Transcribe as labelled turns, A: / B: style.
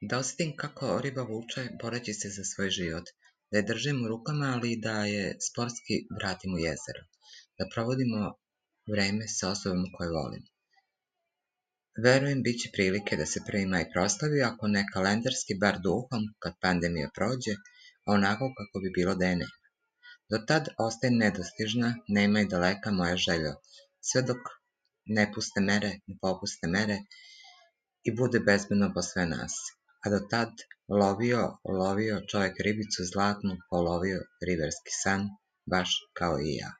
A: Da osetim kako riba vuče boreći se za svoj život, da je držim u rukama, ali da je sportski vratim u jezero, da provodimo vreme sa osobom koju volim. Verujem bit će prilike da se 1. maj proslavi, ako ne kalendarski, bar duhom, kad pandemija prođe, onako kako bi bilo da je nema. Do tad ostaje nedostižna, nema i daleka moja želja, sve dok ne popuste mere i bude bezbedno po sve nas. A do tad lovio čovjek ribicu zlatnu, polovio riverski san, baš kao i ja.